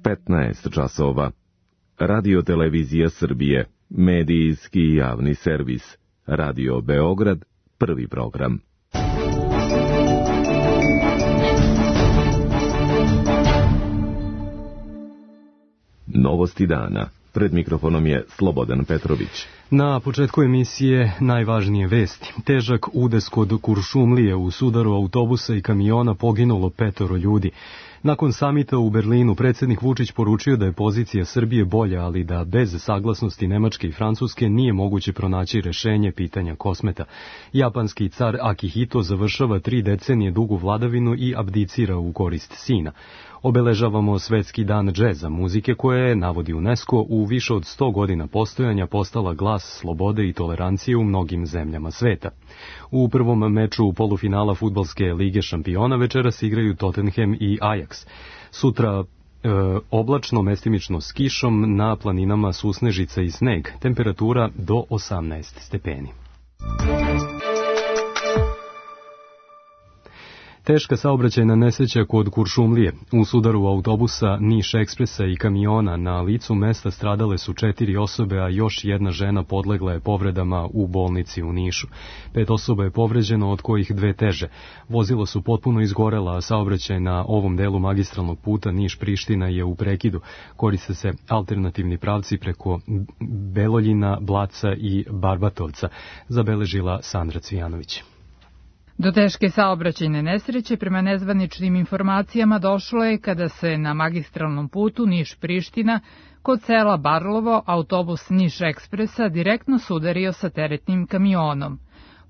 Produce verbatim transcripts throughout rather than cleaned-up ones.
petnaest časova. Radio Televizija Srbije, medijski javni servis. Radio Beograd, prvi program. Novosti dana. Pred mikrofonom je Slobodan Petrović. Na početku emisije najvažnije vesti. Težak udes kod Kuršumlije, u sudaru autobusa i kamiona poginulo petoro ljudi. Nakon samita u Berlinu predsjednik Vučić poručio da je pozicija Srbije bolja, ali da bez saglasnosti Nemačke i Francuske nije moguće pronaći rešenje pitanja Kosmeta. Japanski car Akihito završava tri decenije dugu vladavinu i abdicira u korist sina. Obeležavamo Svetski dan džeza, muzike koja je, navodi UNESCO, u više od sto godina postojanja postala glas slobode i tolerancije u mnogim zemljama sveta. U prvom meču polufinala fudbalske lige šampiona večeras igraju Tottenham i Ajax. Sutra e, oblačno, mestimično s kišom, na planinama susnežica i sneg, temperatura do osamnaest stepeni. Teška saobraćajna nesreća kod Kuršumlije. U sudaru autobusa, Niš ekspresa i kamiona na licu mesta stradale su četiri osobe, a još jedna žena podlegla je povredama u bolnici u Nišu. Pet osoba je povređeno, od kojih dve teže. Vozila su potpuno izgorela, a saobraćaj na ovom delu magistralnog puta Niš-Priština je u prekidu. Koriste se alternativni pravci preko Beloljina, Blaca i Barbatovca, zabeležila Sandra Cvijanović. Do teške saobraćajne nesreće prema nezvaničnim informacijama došlo je kada se na magistralnom putu Niš-Priština kod sela Barlovo autobus Niš ekspresa direktno sudario sa teretnim kamionom.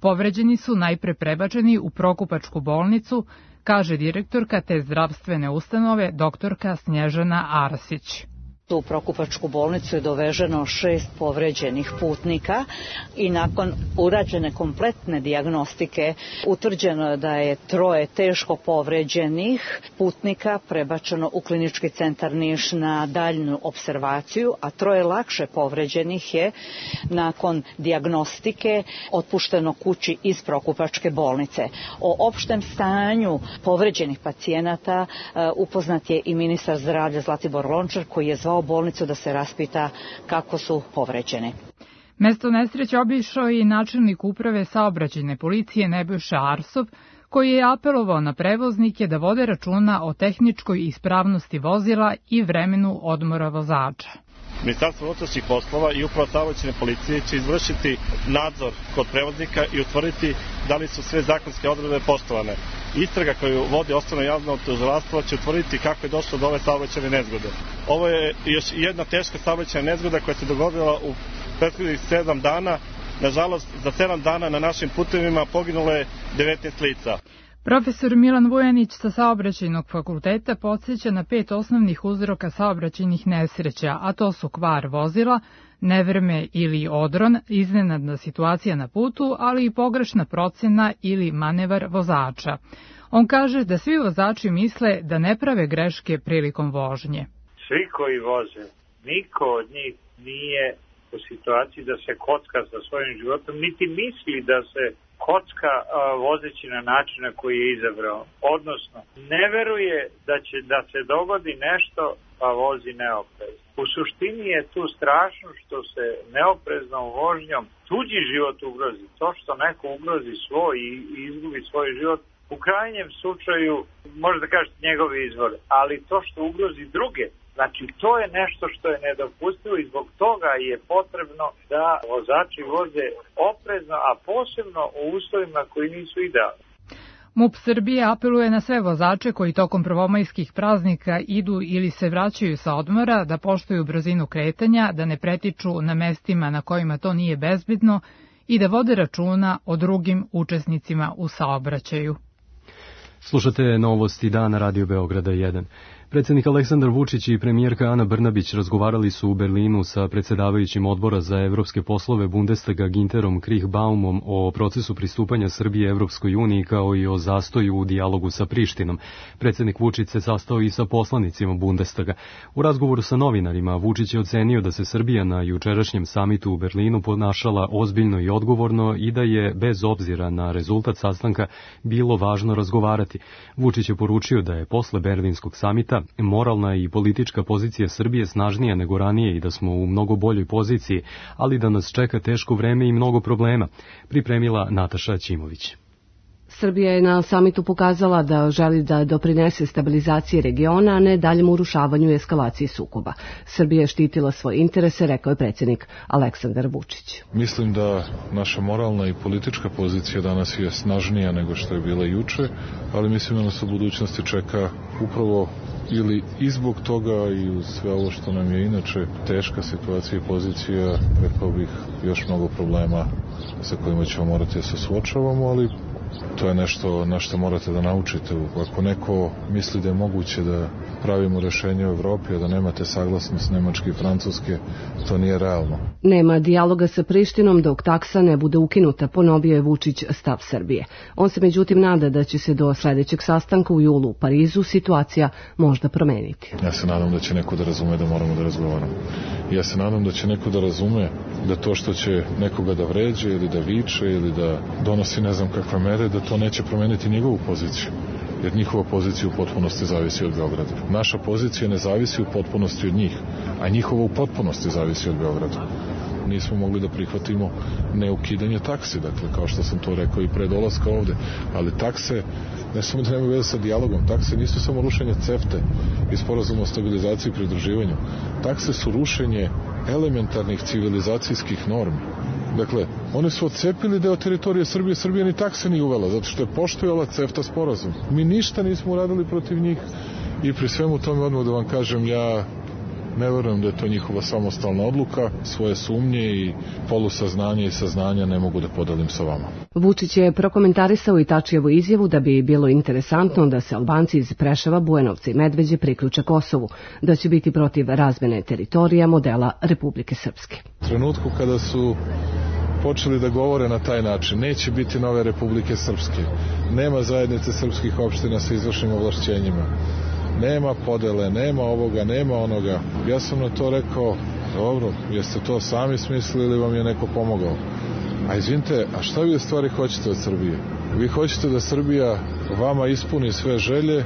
Povređeni su najpre prebačeni u Prokupačku bolnicu, kaže direktorka te zdravstvene ustanove doktorka Snježana Arsić. U Prokupačku bolnicu je doveženo šest povređenih putnika i nakon urađene kompletne dijagnostike utvrđeno je da je troje teško povređenih putnika prebačeno u Klinički centar Niš na daljnju opservaciju, a troje lakše povređenih je nakon dijagnostike otpušteno kući iz Prokupačke bolnice. O opštem stanju povređenih pacijenata upoznat je i ministar zdravlja Zlatibor Lončar, koji je zvao bolnicu da se raspita kako su povređeni. Mesto nesreće obišao i načelnik uprave saobraćajne policije Nebojša Arsov, koji je apelovao na prevoznike da vode računa o tehničkoj ispravnosti vozila i vremenu odmora vozača. Ministarstvo unutrašnjih poslova i uprava saobraćajne policije će izvršiti nadzor kod prevoznika i utvrditi da li su sve zakonske odredbe poštovane. Istraga koju vodi Osnovno javno tužilaštvo će utvrditi kako je došlo do ove saobraćajne nezgode. Ovo je još jedna teška saobraćajna nezgoda koja se dogodila u prethodnih sedam dana. Nažalost, za sedam dana na našim putevima poginulo je devetnaest lica. Profesor Milan Vujanić sa Saobraćajnog fakulteta podsjeća na pet osnovnih uzroka saobraćajnih nesreća, a to su kvar vozila, nevreme ili odron, iznenadna situacija na putu, ali i pogrešna procena ili manevar vozača. On kaže da svi vozači misle da ne prave greške prilikom vožnje. Svi koji voze, niko od njih nije u situaciji da se kocka sa svojim životom, niti misli da se kocka a, vozeći na način na koji je izabrao. Odnosno, ne veruje da će da se dogodi nešto, pa vozi neoprezno. U suštini je tu strašno što se neopreznom vožnjom tuđi život ugrozi. To što neko ugrozi svoj i, i izgubi svoj život, u krajnjem slučaju, možda da kažete njegovi izvor, ali to što ugrozi druge, znači to je nešto što je nedopustivo i zbog toga je potrebno da vozači voze oprezno, a posebno u uslovima koji nisu idealni. MUP Srbije apeluje na sve vozače koji tokom prvomajskih praznika idu ili se vraćaju sa odmora da poštuju brzinu kretanja, da ne pretiču na mestima na kojima to nije bezbedno i da vode računa o drugim učesnicima u saobraćaju. Slušate novosti dana Radio Beograda jedan. Predsjednik Aleksandar Vučić i premijerka Ana Brnabić razgovarali su u Berlinu sa predsjedavajućim odbora za evropske poslove Bundestaga Ginterom Kriegbaumom o procesu pristupanja Srbije Evropskoj uniji kao i o zastoju u dijalogu sa Prištinom. Predsjednik Vučić se sastao i sa poslanicima Bundestaga. U razgovoru sa novinarima Vučić je ocenio da se Srbija na jučerašnjem samitu u Berlinu ponašala ozbiljno i odgovorno i da je bez obzira na rezultat sastanka bilo važno razgovarati. Vučić je poručio da je posle berlinskog samita taksa, moralna i politička pozicija Srbije snažnija nego ranije i da smo u mnogo boljoj poziciji, ali da nas čeka teško vreme i mnogo problema, pripremila Nataša Ćimović. Srbija je na samitu pokazala da želi da doprinese stabilizaciji regiona, a ne daljem urušavanju i eskalaciji sukoba. Srbija je štitila svoje interese, rekao je predsjednik Aleksandar Vučić. Mislim da naša moralna i politička pozicija danas je snažnija nego što je bila juče, ali mislim da nas u budućnosti čeka upravo ili i zbog toga i uz sve ovo što nam je inače teška situacija i pozicija, rekao bih, još mnogo problema sa kojima ćemo morati da se suočavamo, ali to je nešto na što morate da naučite. Ako neko misli da je moguće da pravimo rešenje u Evropi, a da nemate saglasnost Nemačke i Francuske, to nije realno. Nema dijaloga sa Prištinom dok taksa ne bude ukinuta, ponovio je Vučić stav Srbije. On se međutim nada da će se do sledećeg sastanka u julu u Parizu situacija možda promeniti. Ja se nadam da će neko da razume da moramo da razgovaramo. Ja se nadam da će neko da razume da to što će nekoga da vređe ili da viče ili da donosi ne znam kakve mere, da to neće promeniti njegovu poziciju. Jer njihova pozicija u potpunosti zavisi od Beograda. Naša pozicija ne zavisi u potpunosti od njih, a njihova u potpunosti zavisi od Beograda. Nismo mogli da prihvatimo neukidanje taksi, dakle, kao što sam to rekao i pre dolaska ovde, ali takse ne samo da nemaju veze sa dijalogom, takse nisu samo rušenje CEFTE i sporazuma o stabilizaciji i pridruživanju. Takse su rušenje elementarnih civilizacijskih normi. Dakle, oni su odcepili deo teritorije Srbije, Srbija ni takse nije uvela, zato što je poštovala CEFTA sporazum. Mi ništa nismo uradili protiv njih i pri svemu tome odmah da vam kažem, ja ne verujem da je to njihova samostalna odluka, svoje sumnje i polusaznanje i saznanja ne mogu da podelim sa vama. Vučić je prokomentarisao i Tačijevu izjavu da bi bilo interesantno da se Albanci iz Preševa, Bujanovca i Medveđe priključe Kosovu, da će biti protiv razmene teritorija modela Republike Srpske. U trenutku kada su počeli da govore na taj način, neće biti nove Republike Srpske, nema zajednice srpskih opština sa izvršnim ovlašćenjima, nema podele, nema ovoga, nema onoga. Ja sam na to rekao, dobro, jeste to sami smislili ili vam je neko pomogao? A izvinite, a šta vi u stvari hoćete od Srbije? Vi hoćete da Srbija vama ispuni sve želje,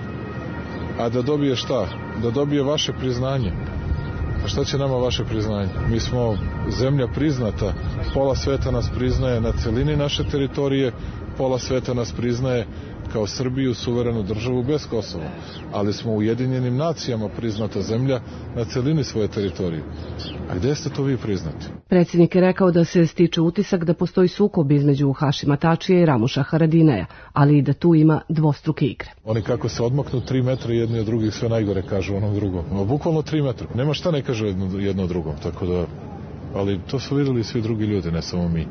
a da dobije šta? Da dobije vaše priznanje. A šta će nama vaše priznanje? Mi smo zemlja priznata, pola sveta nas priznaje na celini naše teritorije, pola sveta nas priznaje kao Srbiju, suverenu državu bez Kosova, ali smo u Ujedinjenim nacijama priznata zemlja na celini svoje teritorije. A gde ste to vi priznati? Predsjednik je rekao da se stiče utisak da postoji sukob između Hašima Tačija i Ramuša Haradinaja, ali i da tu ima dvostruke igre. Oni kako se odmaknu tri metra jedni od drugih, sve najgore kažu onom drugom. No, bukvalno tri metra. Nema šta ne kaže jedno, jedno drugom, tako da, ali to su videli svi drugi ljudi, ne samo mi.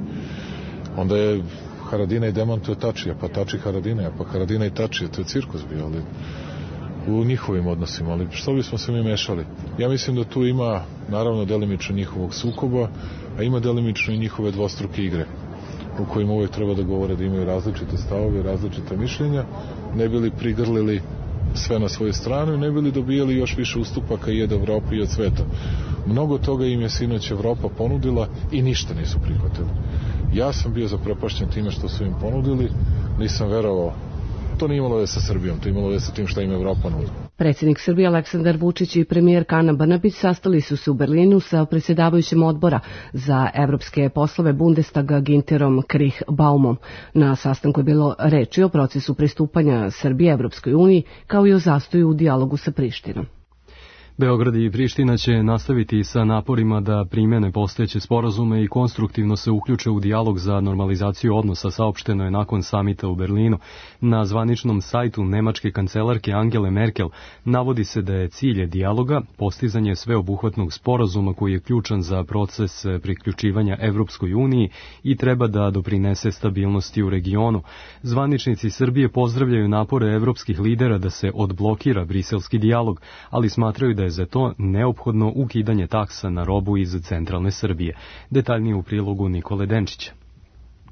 Onda je Haradina i demantuje Tačija, pa Tači Haradina, pa Haradina i Tačija, to je cirkus bio, ali u njihovim odnosima, ali što bismo se mi mešali? Ja mislim da tu ima, naravno, delimično njihovog sukoba, a ima delimično i njihove dvostruke igre, u kojima uvijek treba da govore da imaju različite stavove, različite mišljenja, ne bili prigrlili sve na svoju stranu i ne bili dobijali još više ustupaka i od Evrope i od sveta. Mnogo toga im je sinoć Evropa ponudila i ništa nisu prihvatili. Ja sam bio zaprepašćen time što su im ponudili, nisam verovao. To nije imalo veze sa Srbijom, to je imalo veze sa tim što im Evropa nudi. Predsjednik Srbije Aleksandar Vučić i premijer Ana Brnabić sastali su se u Berlinu sa predsjedavajućim odbora za evropske poslove Bundestaga Günterom Kriechbaumom. Na sastanku je bilo reči o procesu pristupanja Srbije Evropskoj uniji, kao i o zastoju u dijalogu sa Prištinom. Beograd i Priština će nastaviti sa naporima da primene postojeće sporazume i konstruktivno se uključe u dijalog za normalizaciju odnosa, saopšteno je nakon samita u Berlinu. Na zvaničnom sajtu nemačke kancelarke Angele Merkel navodi se da je cilj dijaloga postizanje sveobuhvatnog sporazuma koji je ključan za proces priključivanja Evropskoj uniji i treba da doprinese stabilnosti u regionu. Zvaničnici Srbije pozdravljaju napore evropskih lidera da se odblokira briselski dijalog, ali smatraju da je za to neophodno ukidanje taksa na robu iz centralne Srbije. Detaljnije u prilogu Nikole Denčića.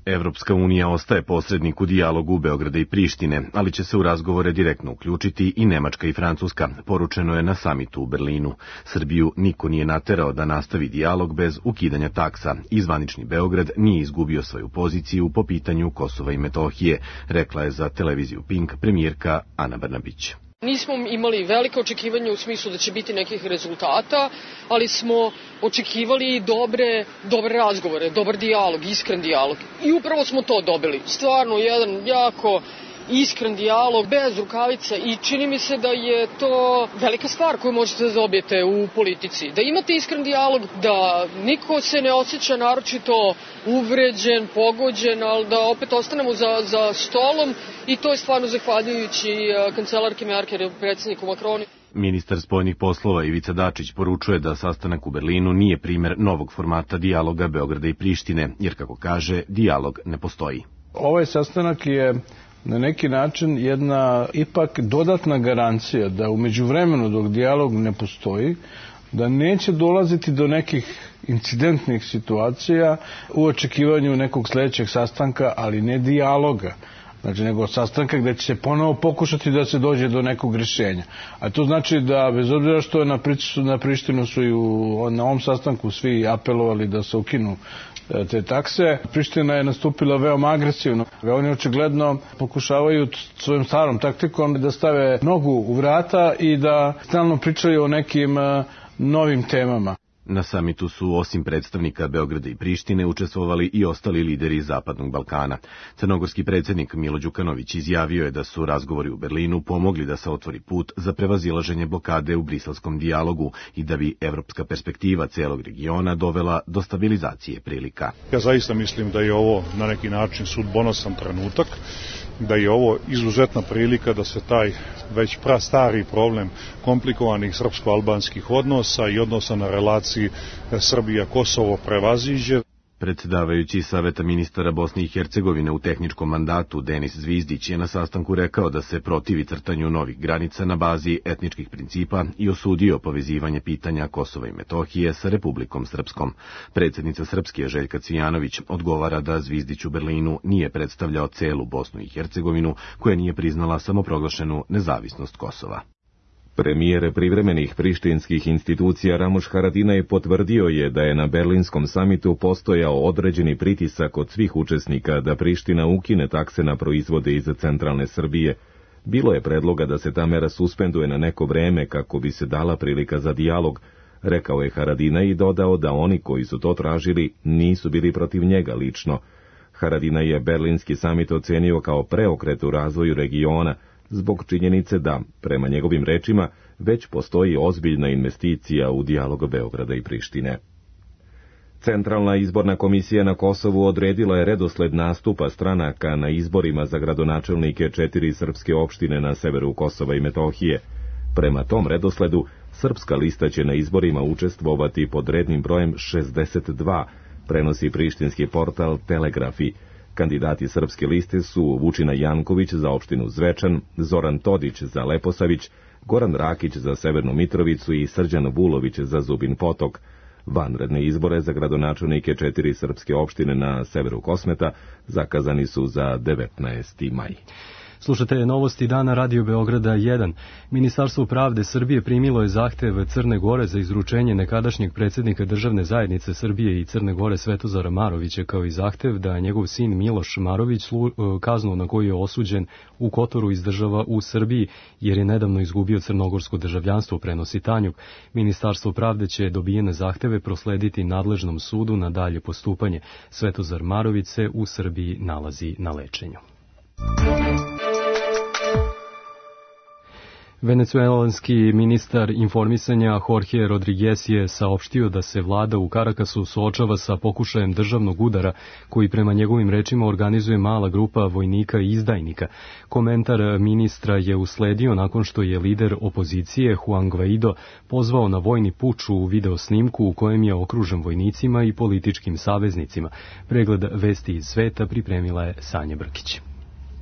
Evropska unija ostaje posrednik u dijalogu Beograda i Prištine, ali će se u razgovore direktno uključiti i Nemačka i Francuska, poručeno je na samitu u Berlinu. Srbiju niko nije naterao da nastavi dijalog bez ukidanja taksa i zvanični Beograd nije izgubio svoju poziciju po pitanju Kosova i Metohije, rekla je za televiziju Pink premijerka Ana Brnabić. Nismo imali velike očekivanja u smislu da će biti nekih rezultata, ali smo očekivali dobre, dobre razgovore, dobar dijalog, iskren dijalog. I upravo smo to dobili. Stvarno jedan jako iskren dijalog, bez rukavica i čini mi se da je to velika stvar koju možete da dobijete u politici. Da imate iskren dijalog, da niko se ne osjeća naročito uvređen, pogođen, ali da opet ostanemo za, za stolom i to je stvarno zahvaljujući kancelarki Merkel i predsjedniku Macronu. Ministar spoljnih poslova Ivica Dačić poručuje da sastanak u Berlinu nije primer novog formata dijaloga Beograda i Prištine, jer kako kaže, dijalog ne postoji. Ovaj sastanak je na neki način jedna ipak dodatna garancija da u međuvremenu dok dijalog ne postoji, da neće dolaziti do nekih incidentnih situacija u očekivanju nekog sledećeg sastanka, ali ne dijaloga. Znači, nego sastanka gde će se ponovo pokušati da se dođe do nekog rješenja. A to znači da, bez obzira što je na, na Prištinu su i u, na ovom sastanku svi apelovali da se ukinu te takse, Priština je nastupila veoma agresivno. Oni očigledno pokušavaju svojom starom taktikom da stave nogu u vrata i da stalno pričaju o nekim novim temama. Na samitu su osim predstavnika Beograda i Prištine učestvovali i ostali lideri Zapadnog Balkana. Crnogorski predsjednik Milo Đukanović izjavio je da su razgovori u Berlinu pomogli da se otvori put za prevazilaženje blokade u briselskom dijalogu i da bi evropska perspektiva celog regiona dovela do stabilizacije prilika. Ja zaista mislim da je ovo na neki način sudbonosan trenutak, da je ovo izuzetna prilika da se taj već prastari problem komplikovanih srpsko-albanskih odnosa i odnosa na relaciji Srbija-Kosovo prevaziđe. Predsjedavajući Saveta ministara Bosne i Hercegovine u tehničkom mandatu Denis Zvizdić je na sastanku rekao da se protivi crtanju novih granica na bazi etničkih principa i osudio povezivanje pitanja Kosova i Metohije sa Republikom Srpskom. Predsjednica Srpske Željka Cvijanović odgovara da Zvizdić u Berlinu nije predstavljao celu Bosnu i Hercegovinu koja nije priznala samoproglašenu nezavisnost Kosova. Premijer privremenih prištinskih institucija Ramuš Haradinaj potvrdio je da je na berlinskom samitu postojao određeni pritisak od svih učesnika da Priština ukine takse na proizvode iz centralne Srbije. Bilo je predloga da se ta mera suspenduje na neko vreme kako bi se dala prilika za dijalog, rekao je Haradinaj i dodao da oni koji su to tražili nisu bili protiv njega lično. Haradinaj je berlinski samit ocenio kao preokret u razvoju regiona, zbog činjenice da, prema njegovim rečima, već postoji ozbiljna investicija u dijalog Beograda i Prištine. Centralna izborna komisija na Kosovu odredila je redosled nastupa stranaka na izborima za gradonačelnike četiri srpske opštine na severu Kosova i Metohije. Prema tom redosledu, srpska lista će na izborima učestvovati pod rednim brojem šezdeset dva, prenosi prištinski portal Telegrafi. Kandidati srpske liste su Vučina Janković za opštinu Zvečan, Zoran Todić za Leposavić, Goran Rakić za Severnu Mitrovicu i Srđan Vulović za Zubin Potok. Vanredne izbore za gradonačelnike četiri srpske opštine na severu Kosmeta zakazani su za devetnaesti maj. Slušate novosti dana Radio Beograda jedan. Ministarstvo pravde Srbije primilo je zahtev Crne Gore za izručenje nekadašnjeg predsjednika državne zajednice Srbije i Crne Gore Svetozara Marovića, kao i zahtev da njegov sin Miloš Marović kaznu na koju je osuđen u Kotoru izdržava u Srbiji, jer je nedavno izgubio crnogorsko državljanstvo, prenosi Tanjug. Ministarstvo pravde će dobijene zahteve proslediti nadležnom sudu na dalje postupanje. Svetozar Marović se u Srbiji nalazi na lečenju. Venecuelanski ministar informisanja Jorge Rodriguez je saopštio da se vlada u Karakasu suočava sa pokušajem državnog udara koji prema njegovim rečima organizuje mala grupa vojnika i izdajnika. Komentar ministra je usledio nakon što je lider opozicije Juan Guaido pozvao na vojni puč u videosnimku u kojem je okružen vojnicima i političkim saveznicima. Pregled vesti iz sveta pripremila je Sanja Brkić.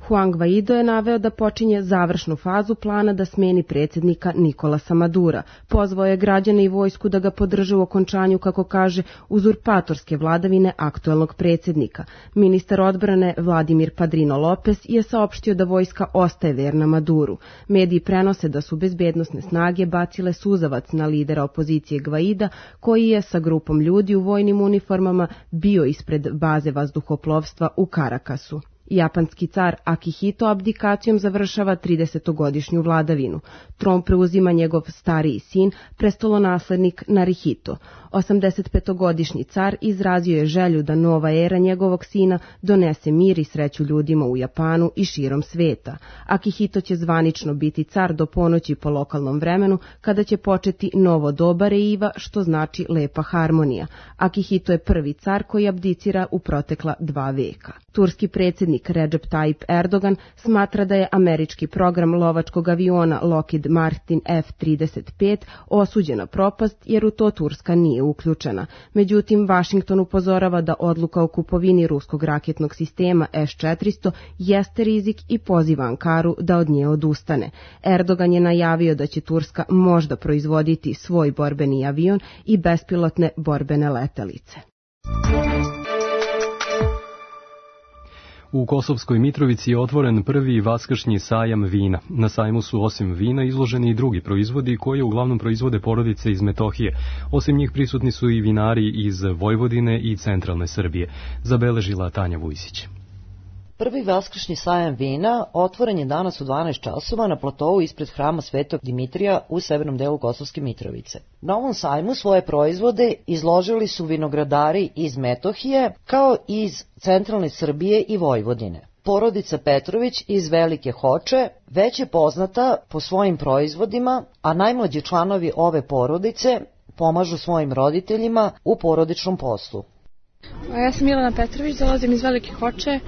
Juan Guaido je naveo da počinje završnu fazu plana da smeni predsjednika Nikolasa Madura. Pozvao je građane i vojsku da ga podrže u okončanju, kako kaže, uzurpatorske vladavine aktuelnog predsjednika. Ministar odbrane Vladimir Padrino Lopez je saopštio da vojska ostaje verna Maduru. Mediji prenose da su bezbednosne snage bacile suzavac na lidera opozicije Guaida, koji je sa grupom ljudi u vojnim uniformama bio ispred baze vazduhoplovstva u Karakasu. Japanski car Akihito abdikacijom završava tridesetogodišnju vladavinu. Tron preuzima njegov stariji sin, prestolonaslednik Narihito. osamdesetpetogodišnji car izrazio je želju da nova era njegovog sina donese mir i sreću ljudima u Japanu i širom sveta. Akihito će zvanično biti car do ponoći po lokalnom vremenu, kada će početi novo doba Reiva, što znači lepa harmonija. Akihito je prvi car koji abdicira u protekla dva veka. Turski predsjednik Recep Tayyip Erdogan smatra da je američki program lovačkog aviona Lockheed Martin F trideset pet osuđen na propast jer u to Turska nije uključena. Međutim, Vašington upozorava da odluka o kupovini ruskog raketnog sistema S četiristo jeste rizik i poziva Ankaru da od nje odustane. Erdogan je najavio da će Turska možda proizvoditi svoj borbeni avion i bespilotne borbene letelice. U Kosovskoj Mitrovici je otvoren prvi vaskršnji sajam vina. Na sajmu su osim vina izloženi i drugi proizvodi koje uglavnom proizvode porodice iz Metohije. Osim njih prisutni su i vinari iz Vojvodine i centralne Srbije, zabeležila Tanja Vujsić. Prvi vaskršnji sajam vina otvoren je danas u dvanaest časova na platovu ispred hrama Svetog Dimitrija u severnom delu Kosovske Mitrovice. Na ovom sajmu svoje proizvode izložili su vinogradari iz Metohije kao iz centralne Srbije i Vojvodine. Porodica Petrović iz Velike Hoče već je poznata po svojim proizvodima, a najmlađi članovi ove porodice pomažu svojim roditeljima u porodičnom poslu. Ja sam Milana Petrović, dolazim iz Velike Hoče.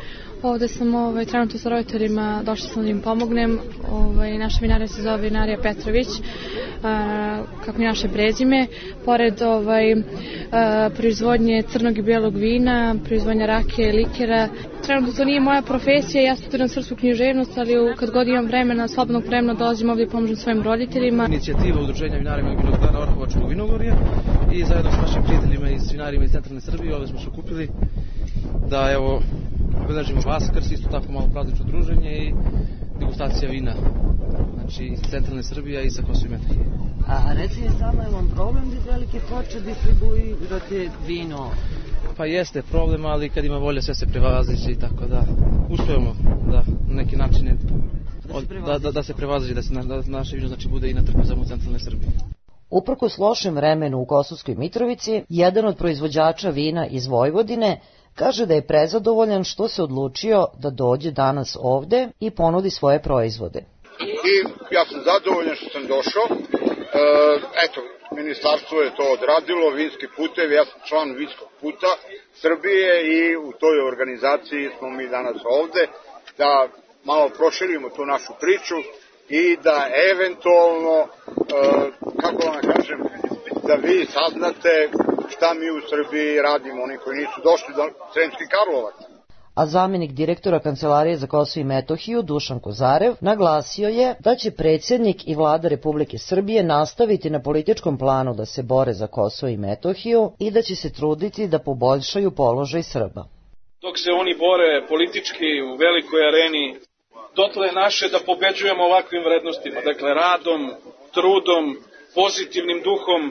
Ovde sam ovaj, trenutno sa roditeljima, došla sam da im pomognem. Ovaj, naša vinarija se zove Vinarija Petrović, a, kako i naše prezime. Pored ovaj, a, proizvodnje crnog i bijelog vina, proizvodnja rakije, likera. Trenutno to nije moja profesija, ja studiram srpsku književnost, ali kad god imam vremena, slobodnog vremena dolazim ovdje i pomažem svojim roditeljima. Inicijativa Udruženja vinarima i vinogradara Orhovačkog vinogorja i zajedno s našim prijateljima iz vinarima iz centralne Srbije ovdje smo se okupili da evo obeležimo Vaskrs, isto tako malo praznično druženje i degustacija vina, znači iz centralne Srbije i sa Kosova i Metohije. A reci je samo, je vam problem da iz Velike Hoče distribuirate vino? Pa jeste problem, ali kad ima volja sve se prevaziđe i tako da uspevamo da na neki način da, da, da se prevaziđe, da se na, da naše vino znači bude i na trpezama u centralne Srbije. Uprkos lošem vremenu u Kosovskoj Mitrovici, jedan od proizvođača vina iz Vojvodine kaže da je prezadovoljan što se odlučio da dođe danas ovde i ponudi svoje proizvode. I ja sam zadovoljan što sam došao. E, eto, ministarstvo je to odradilo, vinski putevi, ja sam član vinskog puta Srbije i u toj organizaciji smo mi danas ovde da malo proširimo tu našu priču i da eventualno, e, kako vam kažem, da vi saznate šta mi u Srbiji radimo, oni koji nisu došli do Sremskih Karlovac. A zamjenik direktora Kancelarije za Kosovo i Metohiju, Dušan Kozarev, naglasio je da će predsjednik i vlada Republike Srbije nastaviti na političkom planu da se bore za Kosovo i Metohiju i da će se truditi da poboljšaju položaj Srba. Dok se oni bore politički u velikoj areni, dotle je naše da pobeđujemo ovakvim vrednostima, dakle radom, trudom, pozitivnim duhom,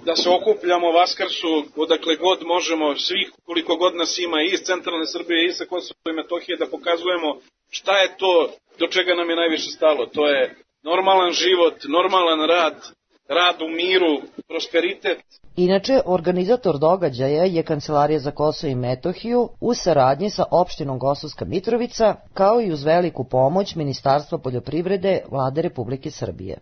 da se okupljamo u Vaskrsu odakle god možemo, svih koliko god nas ima i iz centralne Srbije i sa Kosova i Metohije, da pokazujemo šta je to do čega nam je najviše stalo. To je normalan život, normalan rad, rad u miru, prosperitet. Inače, organizator događaja je Kancelarija za Kosovo i Metohiju u saradnji sa opštinom Kosovska Mitrovica, kao i uz veliku pomoć Ministarstva poljoprivrede Vlade Republike Srbije.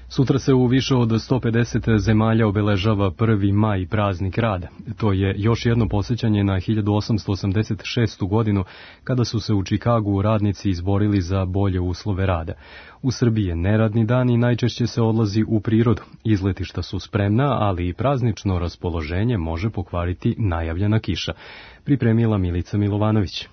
Sutra se u više od sto pedeset zemalja obeležava prvi maj, praznik rada. To je još jedno podsjećanje na hiljadu osamsto osamdeset šestu godinu, kada su se u Čikagu radnici izborili za bolje uslove rada. U Srbiji je neradni dan i najčešće se odlazi u prirodu. Izletišta su spremna, ali i praznično raspoloženje može pokvariti najavljena kiša. Pripremila Milica Milovanović.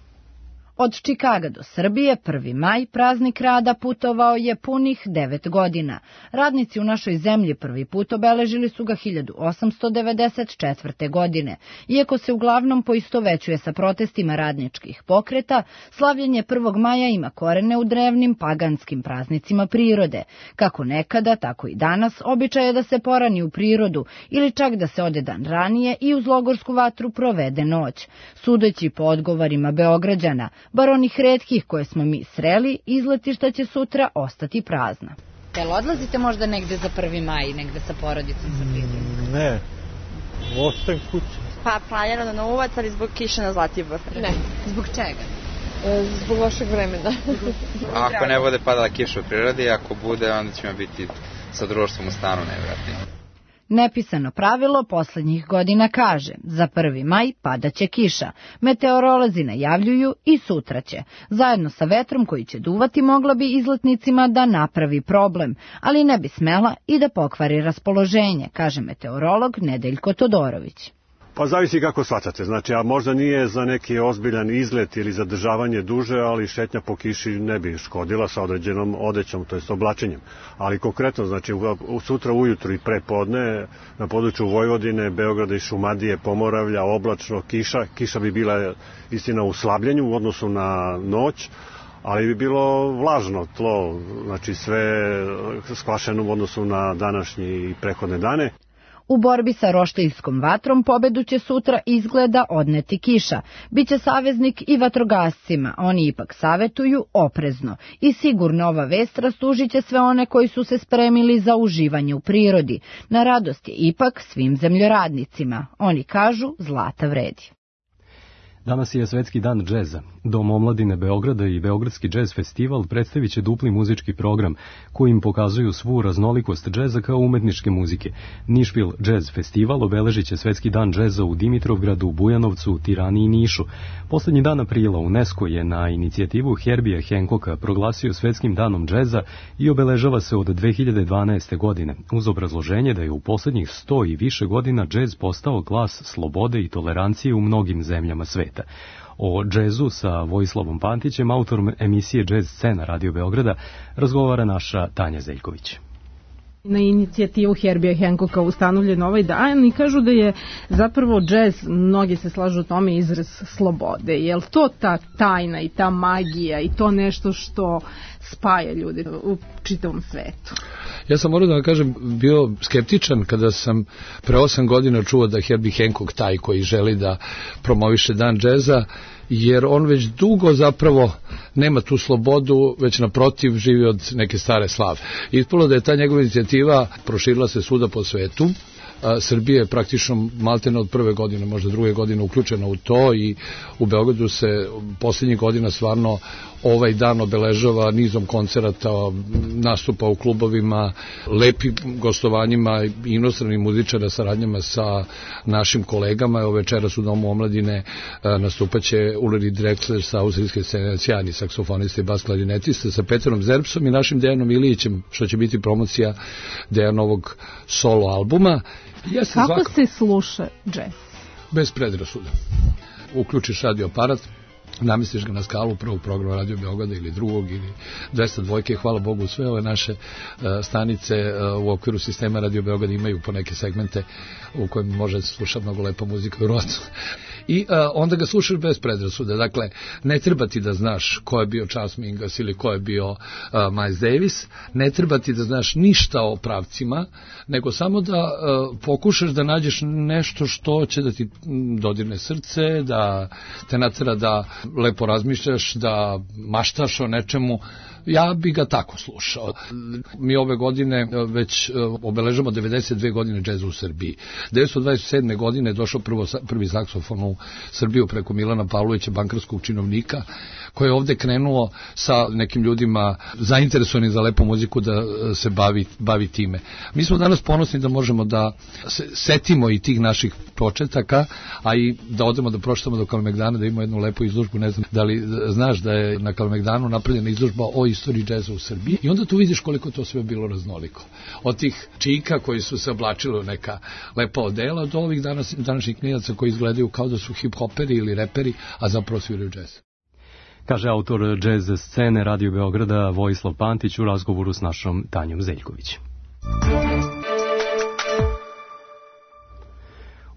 Od Čikaga do Srbije prvi maj, praznik rada, putovao je punih devet godina. Radnici u našoj zemlji prvi put obeležili su ga hiljadu osamsto devedeset četvrte. godine. Iako se uglavnom poistovećuje sa protestima radničkih pokreta, slavljenje prvog maja ima korene u drevnim paganskim praznicima prirode. Kako nekada, tako i danas, običaj je da se porani u prirodu ili čak da se ode dan ranije i uz logorsku vatru provede noć. Sudeći po odgovorima Beograđana, bar onih retkih koje smo mi sreli, izletišta će sutra ostati prazna. Jel odlazite možda negde za prvi maj, negde sa porodicom, sa prijateljima? Ne, ostajem kući. Pa planirano na Uvac, ali zbog kiše na Zlatibor. Ne, zbog čega? E, zbog lošeg vremena. Ako ne bude padala kiša u prirodi, ako bude, onda ćemo biti sa društvom u stanu najvratnije. Nepisano pravilo poslednjih godina kaže, za prvi maj padaće kiša. Meteorolozi najavljuju i sutra će. Zajedno sa vetrom koji će duvati mogla bi izletnicima da napravi problem, ali ne bi smela i da pokvari raspoloženje, kaže meteorolog Nedeljko Todorović. Pa zavisi kako shvaćate, znači, a možda nije za neki ozbiljan izlet ili zadržavanje duže, ali šetnja po kiši ne bi škodila sa određenom odećom, to jest oblačenjem. Ali konkretno, znači, sutra ujutru i prepodne na području Vojvodine, Beograda i Šumadije, Pomoravlja, oblačno, kiša, kiša bi bila istina u slabljenju u odnosu na noć, ali bi bilo vlažno tlo, znači sve skvašeno u odnosu na današnji i prethodne dane. U borbi sa roštilskom vatrom pobedu će sutra izgleda odneti kiša. Biće saveznik i vatrogascima, oni ipak savetuju oprezno. I sigurno ova vest rastužit će sve one koji su se spremili za uživanje u prirodi. Na radost je ipak svim zemljoradnicima. Oni kažu zlata vredi. Danas je Svetski dan džeza. Dom omladine Beograda i Beogradski džez festival predstavit će dupli muzički program kojim pokazuju svu raznolikost džeza kao umetničke muzike. Nišvil džez festival obeležit će Svetski dan džeza u Dimitrovgradu, Bujanovcu, Tirani i Nišu. Poslednji dan aprila UNESCO je na inicijativu Herbija Hancocka proglasio Svetskim danom džeza i obeležava se od dve hiljade dvanaeste. godine, uz obrazloženje da je u poslednjih sto i više godina džez postao glas slobode i tolerancije u mnogim zemljama sveta. O džezu sa Vojislavom Pantićem, autorom emisije Džez scena Radio Beograda, razgovara naša Tanja Zeljković. Na inicijativu Herbija Hancocka ustanovljen ovaj dan i kažu da je zapravo džez, mnogi se slažu o tome, izraz slobode. Je li to ta tajna i ta magija i to nešto što spaja ljude u čitavom svetu? Ja sam, moram da vam kažem, bio skeptičan kada sam pre osam godina čuo da Herbie Hancock taj koji želi da promoviše dan džeza, jer on već dugo zapravo nema tu slobodu, već naprotiv živi od neke stare slave. Ispalo da je ta njegova inicijativa proširila se svuda po svetu. Srbija je praktično maltene od prve godine, možda druge godine uključena u to i u Beogradu se posljednjih godina stvarno ovaj dan obeležava nizom koncerata, nastupa u klubovima, lepim gostovanjima, inostranim muzičara, saradnjama sa našim kolegama. Evo večeras u Domu omladine nastupaće Ulrich Drexler sa austrijske scene, sjajni saksofonista i bas klarinetista, sa Petrom Zerbsom i našim Dejanom Ilićem, što će biti promocija Dejanovog solo albuma. Ja Kako zvaka... se sluša džez? Bez predrasuda. Uključiš radio aparat, namestiš ga na skalu prvog programa Radio Beograda ili drugog ili dvesta dvojke, hvala Bogu sve ove naše uh, stanice uh, u okviru sistema Radio Beograda imaju po neke segmente u kojem može slušati mnogo lepa muzika vjerojatno. I uh, onda ga slušaš bez predrasuda. Dakle, ne treba ti da znaš ko je bio Charles Mingus ili ko je bio uh, Miles Davis, ne treba ti da znaš ništa o pravcima, nego samo da uh, pokušaš da nađeš nešto što će da ti dodirne srce, da te natera da lepo razmišljaš, da maštaš o nečemu. Ja bi ga tako slušao. Mi ove godine već obeležamo devedeset dve godine džeza u Srbiji. devetsto dvadeset sedme. godine je došao prvo, prvi saksofon u Srbiju preko Milana Pavlovića, bankarskog činovnika, koji je ovde krenuo sa nekim ljudima zainteresovani za lepu muziku da se bavi, bavi time. Mi smo danas ponosni da možemo da se setimo i tih naših početaka, a i da odemo da proštamo do Kalemegdana, da imamo jednu lepu izložbu. Ne znam da li znaš da je na Kalemegdanu napravljena izložba o istoriji džeza u Srbiji i onda tu vidiš koliko to sve bilo raznoliko. Od tih čika koji su se oblačili u neka lepa odela do ovih danas, današnjih klinaca koji izgledaju kao da su hip-hoperi ili reperi, a zapravo sviraju džez. kaže autor džez scene Radio Beograda Vojislav Pantić u razgovoru s našom Tanjom Zeljković.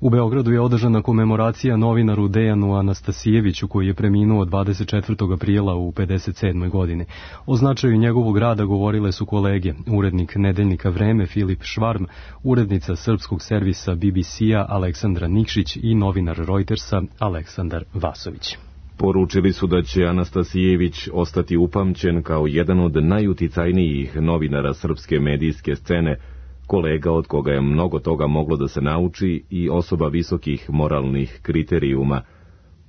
U Beogradu je održana komemoracija novinaru Dejanu Anastasijeviću koji je preminuo dvadeset četvrtog aprila u pedeset sedmoj godini. O značaju njegovog rada govorile su kolege, urednik nedeljnika Vreme Filip Švarm, urednica srpskog servisa B B C-a Aleksandra Nikšić i novinar Reutersa Aleksandar Vasović. Poručili su da će Anastasijević ostati upamćen kao jedan od najuticajnijih novinara srpske medijske scene, kolega od koga je mnogo toga moglo da se nauči i osoba visokih moralnih kriterijuma.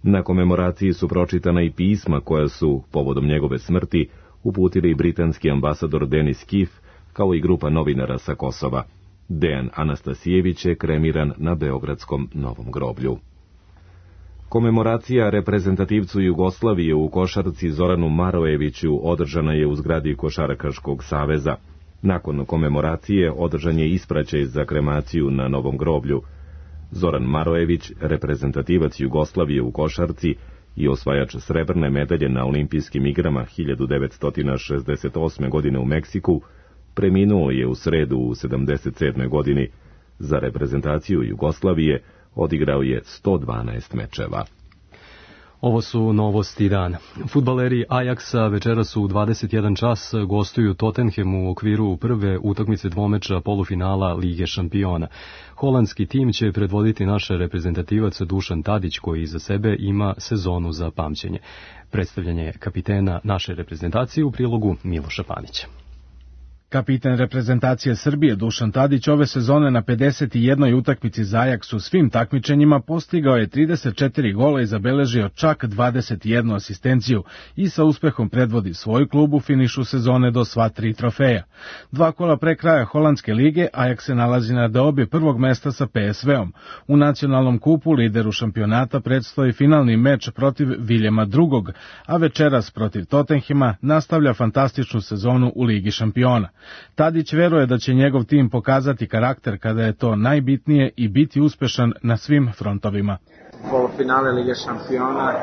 Na komemoraciji su pročitana i pisma koja su, povodom njegove smrti, uputili britanski ambasador Denis Kif, kao i grupa novinara sa Kosova. Dejan Anastasijević je kremiran na beogradskom Novom groblju. Komemoracija reprezentativcu Jugoslavije u košarci Zoranu Marojeviću održana je u zgradi Košarkaškog saveza. Nakon komemoracije održan je ispraćaj za kremaciju na Novom groblju. Zoran Marojević, reprezentativac Jugoslavije u košarci i osvajač srebrne medalje na olimpijskim igrama hiljadu devetsto šezdeset osme. godine u Meksiku, preminuo je u sredu u sedamdeset sedmoj. godini. Za reprezentaciju Jugoslavije odigrao je sto dvanaest mečeva. Ovo su novosti dana. Fudbaleri Ajaksa večeras u dvadeset jedan čas gostuju Tottenhamu u okviru prve utakmice dvomeča polufinala Lige šampiona. Holandski tim će predvoditi naš reprezentativac Dušan Tadić koji iza sebe ima sezonu za pamćenje. Predstavljanje kapitena naše reprezentacije u prilogu Miloša Panića. Kapitan reprezentacije Srbije Dušan Tadić ove sezone na pedeset jednoj utakmici za Ajaks u svim takmičenjima postigao je trideset četiri gola i zabeležio čak dvadeset jednu asistenciju i sa uspehom predvodi svoj klub u finišu sezone do sva tri trofeja. Dva kola pre kraja Holandske lige Ajaks se nalazi na deobi prvog mesta sa P S V-om. U nacionalnom kupu lideru šampionata predstoji finalni meč protiv Viljema drugog, a večeras protiv Tottenhama nastavlja fantastičnu sezonu u Ligi šampiona. Tadić veruje da će njegov tim pokazati karakter kada je to najbitnije i biti uspešan na svim frontovima. Polufinale Lige šampiona,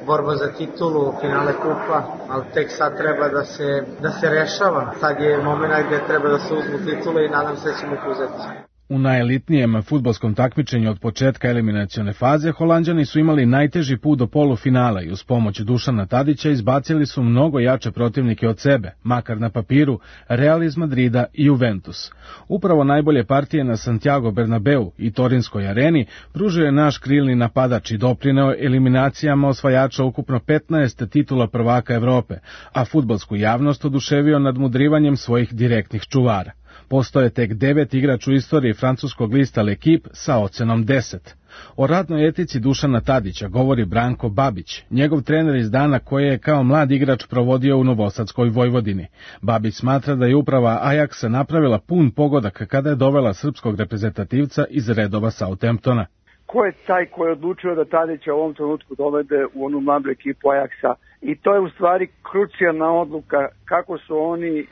borba za titulu, finale kupa, ali tek sad treba da se, da se rešava. Sad je moment gdje treba da se uzmu titule i nadam se da ćemo ih uzeti. U najelitnijem fudbalskom takmičenju od početka eliminacione faze Holanđani su imali najteži put do polufinala i uz pomoć Dušana Tadića izbacili su mnogo jače protivnike od sebe, makar na papiru, Real iz Madrida i Juventus. Upravo najbolje partije na Santiago Bernabeu i Torinskoj areni pružio je naš krilni napadač i doprineo eliminacijama osvajača ukupno petnaest titula prvaka Evrope, a fudbalsku javnost oduševio nadmudrivanjem svojih direktnih čuvara. Postoje tek devet igrač u istoriji francuskog lista L'Equipe sa ocenom deset. O radnoj etici Dušana Tadića govori Branko Babić, njegov trener iz dana koje je kao mlad igrač provodio u Novosadskoj Vojvodini. Babić smatra da je uprava Ajaksa napravila pun pogodak kada je dovela srpskog reprezentativca iz redova Southamptona. Ko je taj ko je odlučio da Tadića u ovom trenutku dovede u onu mladu ekipu Ajaksa? I to je u stvari krucijalna odluka kako su oni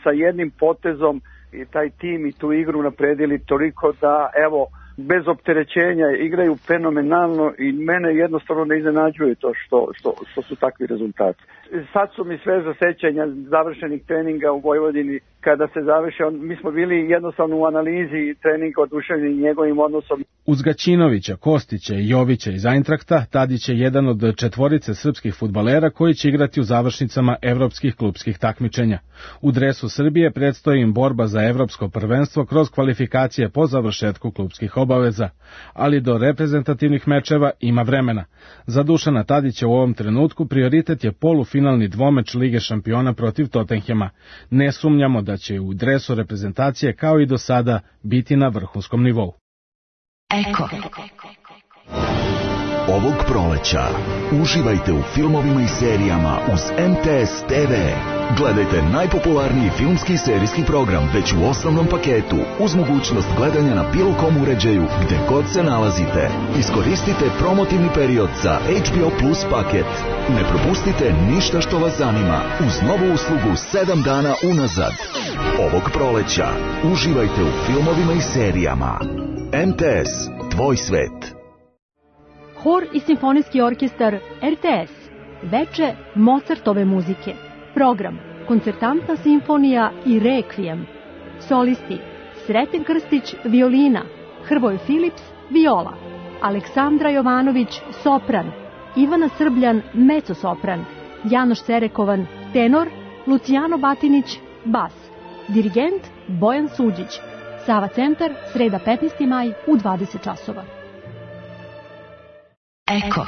sa jednim potezom i taj tim i tu igru napredili toliko da, evo, bez opterećenja igraju fenomenalno i mene jednostavno ne iznenađuje to što, što, što su takvi rezultati. Sad su mi sve za sećanja završenih treninga u Vojvodini. Kada se završe, mi smo bili jednostavno u analizi treninga oduševljeni njegovim odnosom. Uz Gaćinovića, Kostića i Jovića iz Eintrachta, Tadić je jedan od četvorice srpskih fudbalera koji će igrati u završnicama evropskih klupskih takmičenja. U dresu Srbije predstoji im borba za evropsko prvenstvo kroz kvalifikacije po završetku klupskih obaveza, ali do reprezentativnih mečeva ima vremena. Za Dušana Tadića u ovom trenutku prioritet je polufinalni dvomeč Lige šampiona protiv Tottenhama. Ne sumnjamo da će u dresu reprezentacije kao i do sada biti na vrhunskom nivou. Eko. Ovog proleća uživajte u filmovima i serijama uz M T S T V. Gledajte najpopularniji filmski i serijski program već u osnovnom paketu uz mogućnost gledanja na bilo kom uređaju gde god se nalazite. Iskoristite promotivni period za H B O Plus paket. Ne propustite ništa što vas zanima uz novu uslugu sedam dana unazad. Ovog proleća uživajte u filmovima i serijama. M T S, tvoj svet. Hor i simfonijski orkestar R T S Veče Mozartove muzike. Program Koncertantna simfonija i Rekvijem. Solisti Sreten Krstić, violina, Hrvoje Filips, viola, Aleksandra Jovanović, sopran, Ivana Srbljan, mecosopran, Janoš Serekovan, tenor, Lucijano Batinić, bas. Dirigent Bojan Suđić. Sava centar, sreda petnaesti maj u dvadeset časova. Eko.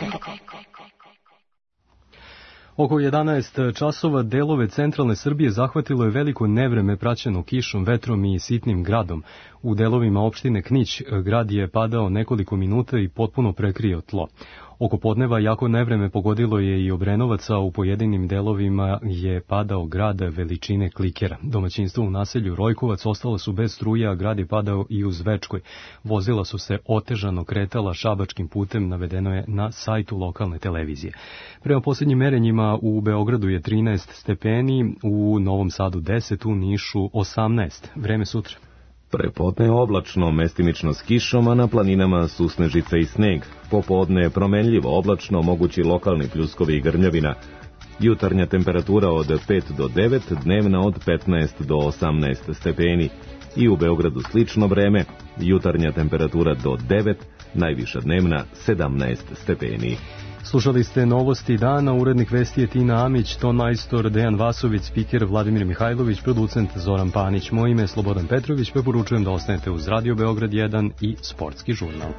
Oko jedanaest časova delove centralne Srbije zahvatilo je veliko nevreme praćeno kišom, vetrom i sitnim gradom. U delovima opštine Knić grad je padao nekoliko minuta i potpuno prekrio tlo. Oko podneva jako nevreme pogodilo je i Obrenovac, a u pojedinim delovima je padao grad veličine klikera. Domaćinstvo u naselju Rojkovac ostalo su bez struje, a grad je padao i u Zvečkoj. Vozila su se otežano kretala šabačkim putem, navedeno je na sajtu lokalne televizije. Prema posljednjim merenjima u Beogradu je trinaest stepeni, u Novom Sadu deset, u Nišu osamnaest. Vreme sutra. Prepodne oblačno, mestimično s kišom, a na planinama susnežica i sneg. Popodne promenljivo oblačno, mogući lokalni pljuskovi i grmljavina. Jutarnja temperatura od pet do devet, dnevna od petnaest do osamnaest stepeni. I u Beogradu slično vreme, jutarnja temperatura do devet, najviša dnevna sedamnaest stepeni. Slušali ste novosti dana, urednik vesti je Tina Amić, ton majstor Dejan Vasović, spiker Vladimir Mihajlović, producent Zoran Panić. Moje ime je Slobodan Petrović, preporučujem da ostanete uz Radio Beograd jedan i Sportski žurnal.